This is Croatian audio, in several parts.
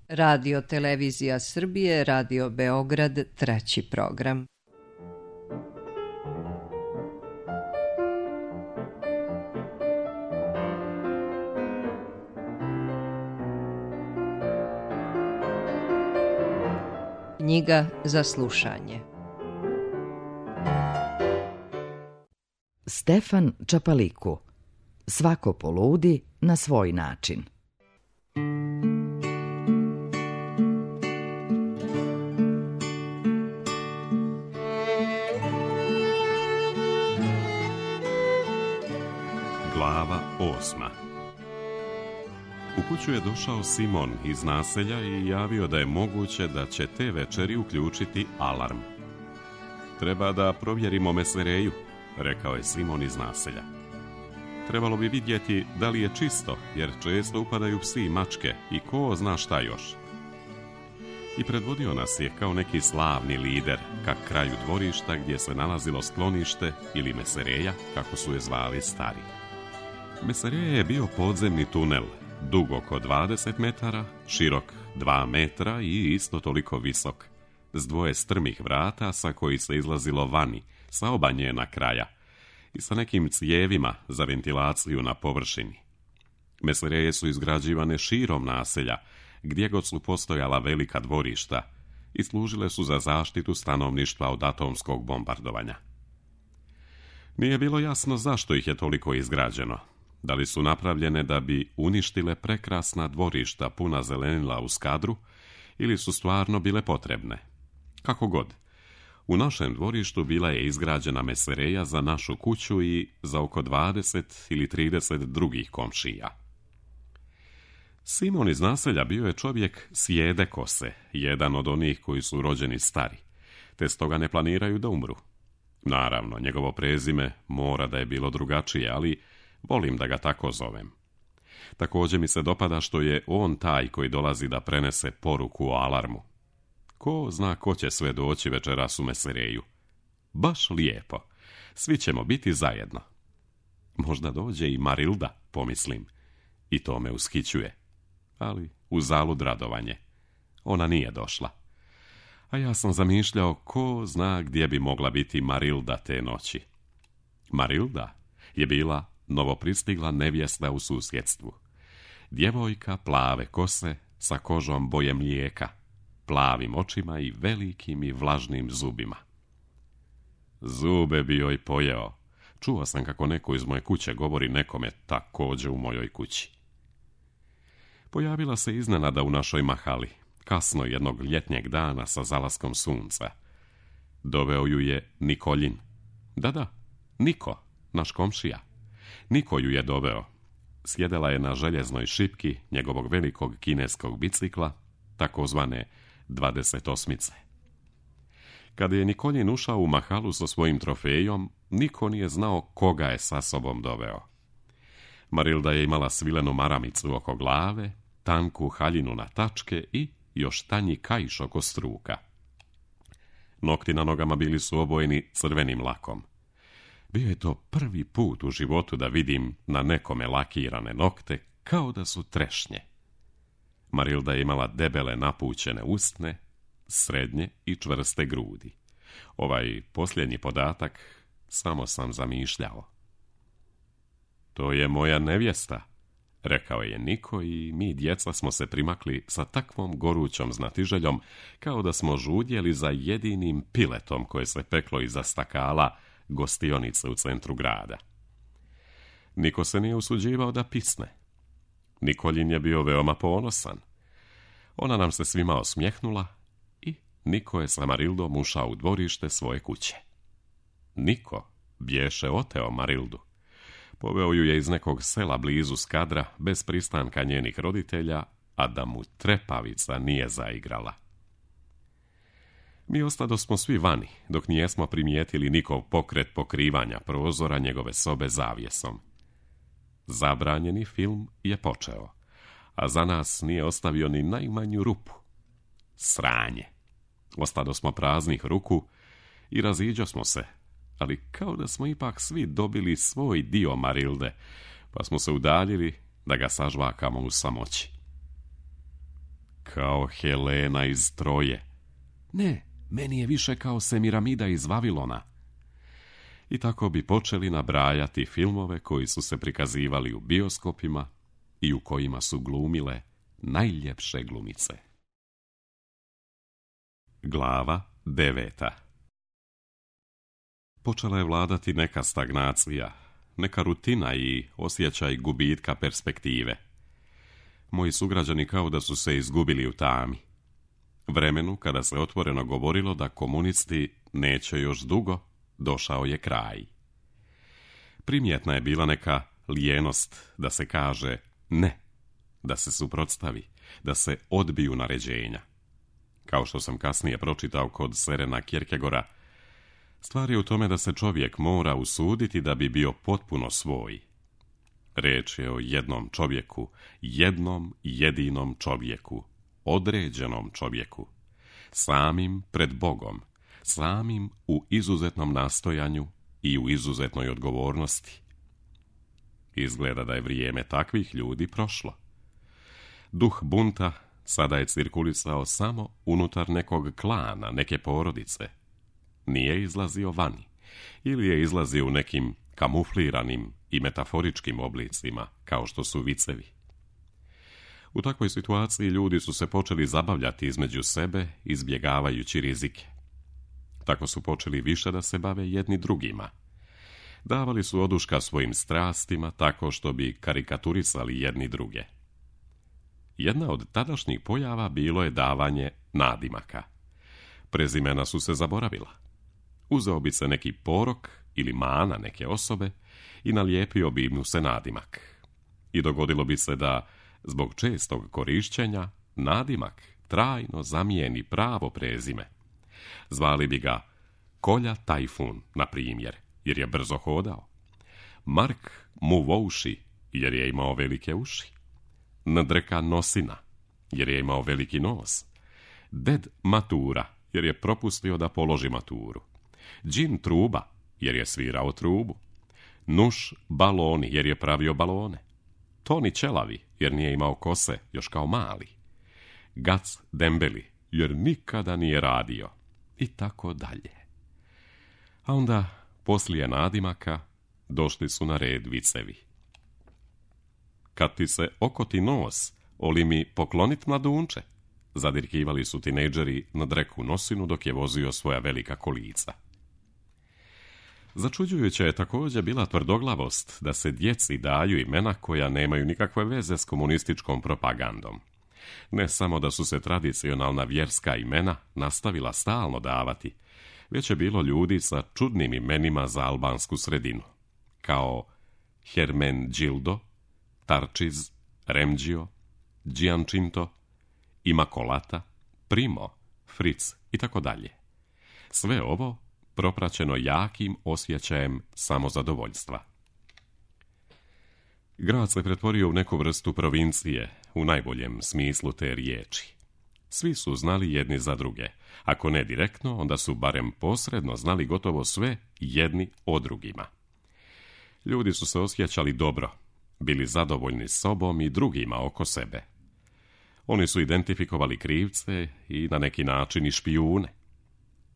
Radio Televizija Srbije, Radio Beograd, 3. program. Knjiga za slušanje. Stefan Čapaliku. Svako poludi na svoj način. Glava 8. U kuću je došao Simon iz naselja i javio da je moguće da će te večeri uključiti alarm. Treba da provjerimo Mesereju, rekao je Simon iz naselja. Trebalo bi vidjeti da li je čisto, jer često upadaju psi i mačke i ko zna šta još. I predvodio nas je kao neki slavni lider ka kraju dvorišta gdje se nalazilo sklonište ili Mesereja, kako su je zvali stari. Mesereja je bio podzemni tunel, dug oko 20 metara, širok 2 metra i isto toliko visok, s 2 strmih vrata sa koji se izlazilo vani, sa oba njena kraja i sa nekim cijevima za ventilaciju na površini. Mesereje su izgrađivane širom naselja, gdje god su postojala velika dvorišta i služile su za zaštitu stanovništva od atomskog bombardovanja. Nije bilo jasno zašto ih je toliko izgrađeno. Da li su napravljene da bi uništile prekrasna dvorišta puna zelenila u Skadru ili su stvarno bile potrebne. Kako god, u našem dvorištu bila je izgrađena Mesereja za našu kuću i za oko 20 ili 30 drugih komšija. Simon iz naselja bio je čovjek sjede kose, jedan od onih koji su rođeni stari, te stoga ne planiraju da umru. Naravno, njegovo prezime mora da je bilo drugačije, ali volim da ga tako zovem. Također mi se dopada što je on taj koji dolazi da prenese poruku o alarmu. Ko zna ko će sve doći večeras u Mesereju. Baš lijepo. Svi ćemo biti zajedno. Možda dođe i Marilda, pomislim. I to me ushićuje. Ali uzalud radovanje. Ona nije došla. A ja sam zamišljao ko zna gdje bi mogla biti Marilda te noći. Marilda je bila novopristigla nevjesta u susjedstvu. Djevojka plave kose sa kožom boje mlijeka, plavim očima i velikim i vlažnim zubima. Zube bi joj pojeo. Čuo sam kako neko iz moje kuće govori nekome također u mojoj kući. Pojavila se iznenada u našoj mahali, kasno jednog ljetnjeg dana sa zalaskom sunca. Doveo ju je Nikoljin. Da, Niko, naš komšija. Niko ju je doveo. Sjedela je na željeznoj šipki njegovog velikog kineskog bicikla, takozvane 28. Kada je Nikoljin ušao u mahalu sa svojim trofejom, niko nije znao koga je sa sobom doveo. Marilda je imala svilenu maramicu oko glave, tanku haljinu na tačke i još tanji kaiš oko struka. Nokti na nogama bili su obojeni crvenim lakom. Bio je to prvi put u životu da vidim na nekome lakirane nokte kao da su trešnje. Marilda je imala debele napućene usne, srednje i čvrste grudi. Ovaj posljednji podatak samo sam zamišljao. To je moja nevjesta, rekao je Niko i mi djeca smo se primakli sa takvom gorućom znatiželjom kao da smo žudjeli za jedinim piletom koje se peklo iza stakala gostionice u centru grada. Niko se nije usuđivao da pisne. Nikoljin je bio veoma ponosan. Ona nam se svima osmjehnula i Niko je sa Marildom ušao u dvorište svoje kuće. Niko bješe oteo Marildu. Poveo ju je iz nekog sela blizu Skadra bez pristanka njenih roditelja, a da mu trepavica nije zaigrala. Mi ostadosmo svi vani, dok nijesmo primijetili nikov pokret pokrivanja prozora njegove sobe zavjesom. Zabranjeni film je počeo, a za nas nije ostavio ni najmanju rupu. Sranje. Ostadosmo praznih ruku i raziđosmo se, ali kao da smo ipak svi dobili svoj dio Marilde, pa smo se udaljili da ga sažvakamo u samoći. kao Helena iz Troje. Ne, meni je više kao Semiramida iz Vavilona. I tako bi počeli nabrajati filmove koji su se prikazivali u bioskopima i u kojima su glumile najljepše glumice. Glava 9. Počela je vladati neka stagnacija, neka rutina i osjećaj gubitka perspektive. Moji sugrađani kao da su se izgubili u tami. Vremenu kada se otvoreno govorilo da komunisti neće još dugo, došao je kraj. Primjetna je bila neka lijenost da se kaže ne, da se suprotstavi, da se odbiju naređenja. Kao što sam kasnije pročitao kod Sørena Kierkegaarda, stvar je u tome da se čovjek mora usuditi da bi bio potpuno svoj. Riječ je o jednom čovjeku, jednom jedinom čovjeku, određenom čovjeku, samim pred Bogom, samim u izuzetnom nastojanju i u izuzetnoj odgovornosti. Izgleda da je vrijeme takvih ljudi prošlo. Duh bunta sada je cirkulisao samo unutar nekog klana, neke porodice. Nije izlazio vani, ili je izlazio u nekim kamufliranim i metaforičkim oblicima, kao što su vicevi. U takvoj situaciji ljudi su se počeli zabavljati između sebe, izbjegavajući rizike. Tako su počeli više da se bave jedni drugima. Davali su oduška svojim strastima tako što bi karikaturisali jedni druge. Jedna od tadašnjih pojava bilo je davanje nadimaka. Prezimena su se zaboravila. Uzeo bi se neki porok ili mana neke osobe i nalijepio bi mu se nadimak. I dogodilo bi se da, zbog čestog korišćenja, nadimak trajno zamijeni pravo prezime. Zvali bi ga Kolja Tajfun, na primjer, jer je brzo hodao. Mark Muvouši, jer je imao velike uši. Ndreka Nosina, jer je imao veliki nos. Ded Matura, jer je propustio da položi maturu. Džin Truba, jer je svirao trubu. Nuš Baloni, jer je pravio balone. Toni Ćelavi, jer nije imao kose, još kao mali. Gac Dembeli, jer nikada nije radio. I tako dalje. A onda, poslije nadimaka, došli su na red vicevi. Kad ti se okoti nos, oli mi poklonit mladunče, zadirkivali su tinejdžeri na Dreku Nosinu dok je vozio svoja velika kolica. Začuđujuća je također bila tvrdoglavost da se djeci daju imena koja nemaju nikakve veze s komunističkom propagandom. Ne samo da su se tradicionalna vjerska imena nastavila stalno davati, već je bilo ljudi sa čudnim imenima za albansku sredinu, kao Hermenđildo, Tarčiz, Remđio, Giančinto, Imakolata, Primo, Fritz i tako dalje. Sve ovo propraćeno jakim osjećajem samozadovoljstva. Grad se pretvorio u neku vrstu provincije, u najboljem smislu te riječi. Svi su znali jedni za druge. Ako ne direktno, onda su barem posredno znali gotovo sve jedni o drugima. Ljudi su se osjećali dobro, bili zadovoljni sobom i drugima oko sebe. Oni su identifikovali krivce i na neki način i špijune.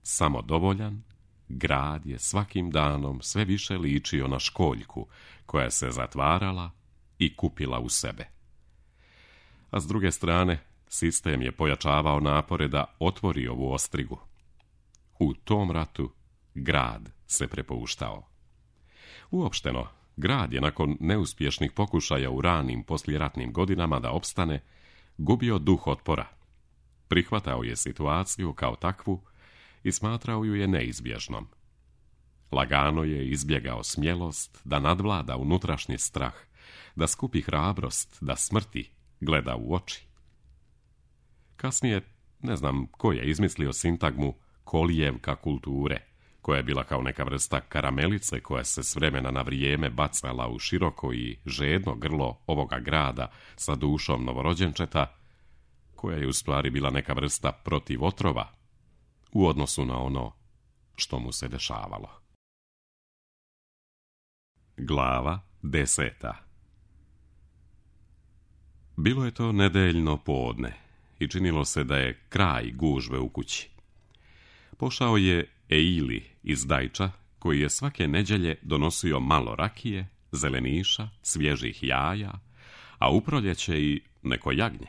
Samodovoljan, grad je svakim danom sve više ličio na školjku koja se zatvarala i kupila u sebe. A s druge strane, sistem je pojačavao napore da otvori ovu ostrigu. U tom ratu grad se prepuštao. Uopšteno, grad je nakon neuspješnih pokušaja u ranim poslijeratnim godinama da opstane, gubio duh otpora. Prihvatao je situaciju kao takvu i smatrao ju je neizbježnom. Lagano je izbjegao smjelost da nadvlada unutrašnji strah, da skupi hrabrost, da smrti gleda u oči. Kasnije, ne znam ko je izmislio sintagmu kolijevka kulture, koja je bila kao neka vrsta karamelice koja se s vremena na vrijeme bacala u široko i žedno grlo ovoga grada sa dušom novorođenčeta, koja je u stvari bila neka vrsta protiv otrova u odnosu na ono što mu se dešavalo. Glava 10. Bilo je to nedeljno podne i činilo se da je kraj gužve u kući. Pošao je Eili iz Dajča, koji je svake nedjelje donosio malo rakije, zeleniša, svježih jaja, a u proljeće i neko jagnje.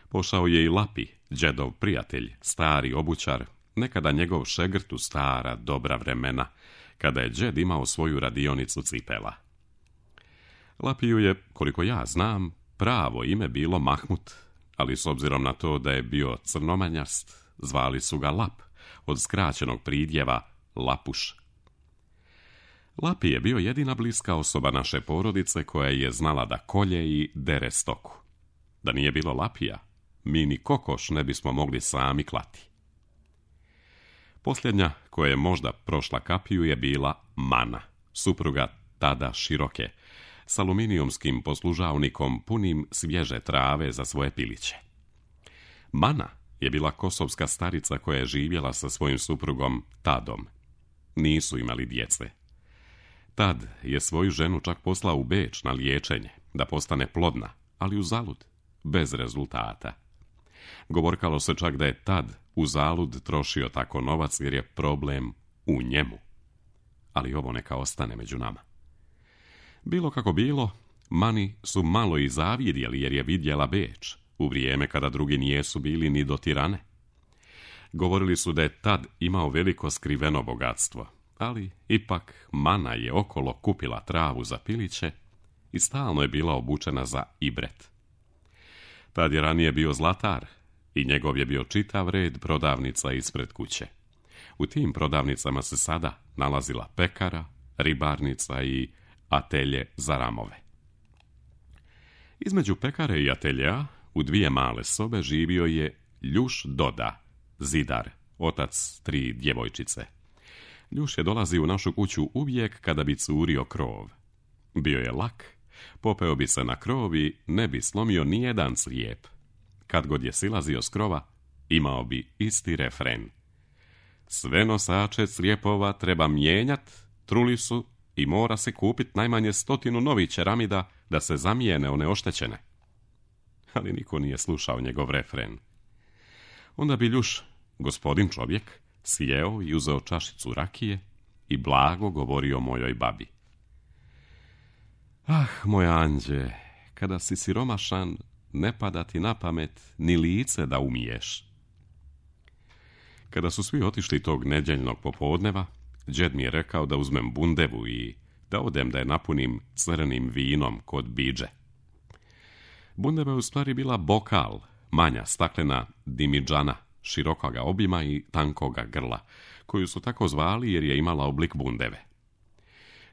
Pošao je i Lapi, đedov prijatelj, stari obućar, nekada njegov šegrt u stara dobra vremena, kada je đed imao svoju radionicu cipela. Lapiju je, koliko ja znam, pravo ime bilo Mahmut, ali s obzirom na to da je bio crnomanjast, zvali su ga Lap, od skraćenog pridjeva Lapuš. Lapi je bio jedina bliska osoba naše porodice koja je znala da kolje i dere stoku. Da nije bilo Lapija, mi ni kokoš ne bismo mogli sami klati. Posljednja koja je možda prošla kapiju je bila Mana, supruga tada Široke, s aluminijumskim poslužavnikom punim svježe trave za svoje piliće. Mana je bila kosovska starica koja je živjela sa svojim suprugom Tadom. Nisu imali djece. Tad je svoju ženu čak poslao u Beč na liječenje, da postane plodna, ali uzalud, bez rezultata. Govorkalo se čak da je Tad uzalud trošio tako novac jer je problem u njemu. Ali ovo neka ostane među nama. Bilo kako bilo, Mani su malo i zavidjeli jer je vidjela Beč, u vrijeme kada drugi nijesu bili ni do Tirane. Govorili su da je Tad imao veliko skriveno bogatstvo, ali ipak Mana je okolo kupila travu za piliće i stalno je bila obučena za ibret. Tad je ranije bio zlatar i njegov je bio čitav red prodavnica ispred kuće. U tim prodavnicama se sada nalazila pekara, ribarnica i atelje za ramove. Između pekare i ateljea u dvije male sobe živio je Ljuš Doda, zidar, otac 3 djevojčice. Ljuš je dolazio u našu kuću uvijek kada bi curio krov. Bio je lak, popeo bi se na krov i ne bi slomio nijedan crijep. Kad god je silazio s krova, imao bi isti refren. Sve nosače crijepova treba mijenjat, truli su i mora se kupit najmanje 100 novih čeramida da se zamijene one oštećene. Ali niko nije slušao njegov refren. Onda bi Ljuš, gospodin čovjek, sjeo i uzeo čašicu rakije i blago govorio mojoj babi. Ah, moj anđe, kada si siromašan, ne pada ti na pamet ni lice da umiješ. Kada su svi otišli tog nedjeljnog popodneva, đed mi je rekao da uzmem bundevu i da odem da je napunim crnim vinom kod Bidže. Bundeva je u stvari bila bokal, manja staklena dimidžana, širokoga obima i tankoga grla, koju su tako zvali jer je imala oblik bundeve.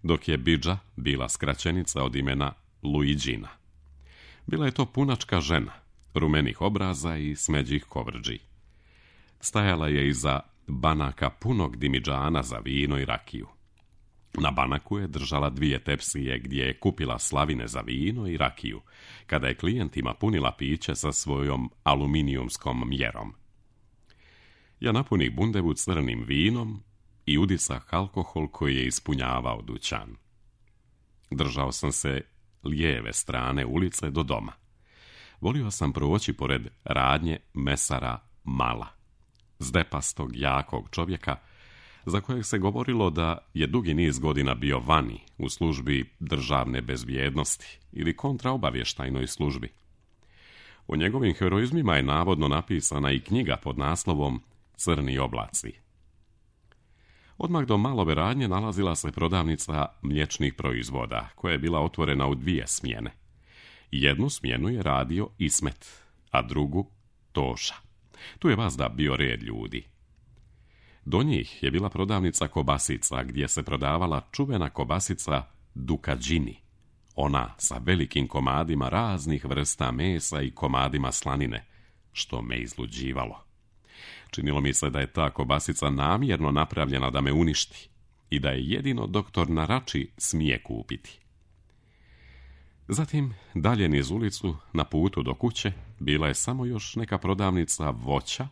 Dok je Bidža bila skraćenica od imena Luigina. Bila je to punačka žena, rumenih obraza i smeđih kovrđi. Stajala je iza banaka punog dimidžana za vino i rakiju. Na banaku je držala 2 tepsije gdje je kupila slavine za vino i rakiju, kada je klijentima punila piće sa svojom aluminijumskom mjerom. Ja napunih bundevu crnim vinom i udisah alkohol koji je ispunjavao dućan. Držao sam se lijeve strane ulice do doma. Volio sam proći pored radnje mesara Mala, zdepastog, jakog čovjeka, za kojeg se govorilo da je dugi niz godina bio vani u službi državne bezbjednosti ili kontraobavještajnoj službi. O njegovim heroizmima je navodno napisana i knjiga pod naslovom Crni oblaci. Odmah do Malove radnje nalazila se prodavnica mliječnih proizvoda, koja je bila otvorena u 2 smjene. Jednu smjenu je radio Ismet, a drugu Toša. Tu je vazda bio red ljudi. Do njih je bila prodavnica kobasica, gdje se prodavala čuvena kobasica Dukađini, ona sa velikim komadima raznih vrsta mesa i komadima slanine, što me izluđivalo. Činilo mi se da je ta kobasica namjerno napravljena da me uništi i da je jedino doktor na Rači smije kupiti. Zatim, dalje niz ulicu, na putu do kuće, bila je samo još neka prodavnica voća,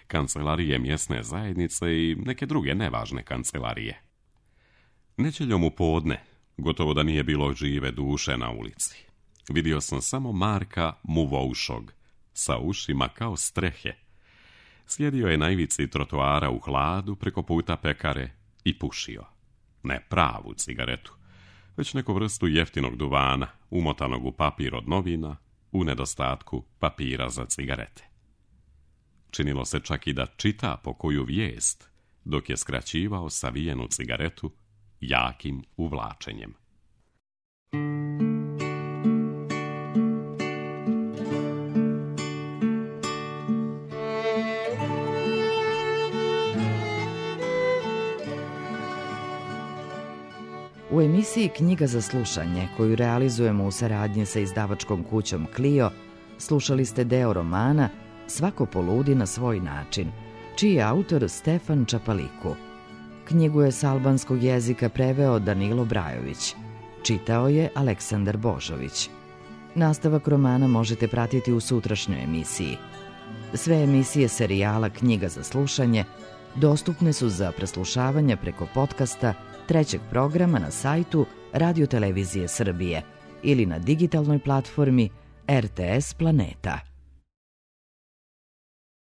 kancelarije mjesne zajednice i neke druge nevažne kancelarije. Nedjeljom u podne, gotovo da nije bilo žive duše na ulici. Vidio sam samo Marka Muvoušog, sa ušima kao strehe. Sjedio je na ivici trotoara u hladu preko puta pekare i pušio. Ne pravu cigaretu, već neku vrstu jeftinog duvana, umotanog u papir od novina, u nedostatku papira za cigarete. Činilo se čak i da čita po koju vijest, dok je skraćivao savijenu cigaretu jakim uvlačenjem. U emisiji Knjiga za slušanje, koju realizujemo u saradnji sa izdavačkom kućom Clio, slušali ste deo romana Svako poludi na svoj način, čiji je autor Stefan Čapaliku. Knjigu je s albanskog jezika preveo Danilo Brajović. Čitao je Aleksandar Božović. Nastavak romana možete pratiti u sutrašnjoj emisiji. Sve emisije serijala Knjiga za slušanje dostupne su za preslušavanje preko podcasta trećeg programa na sajtu Radio Televizije Srbije ili na digitalnoj platformi RTS Planeta.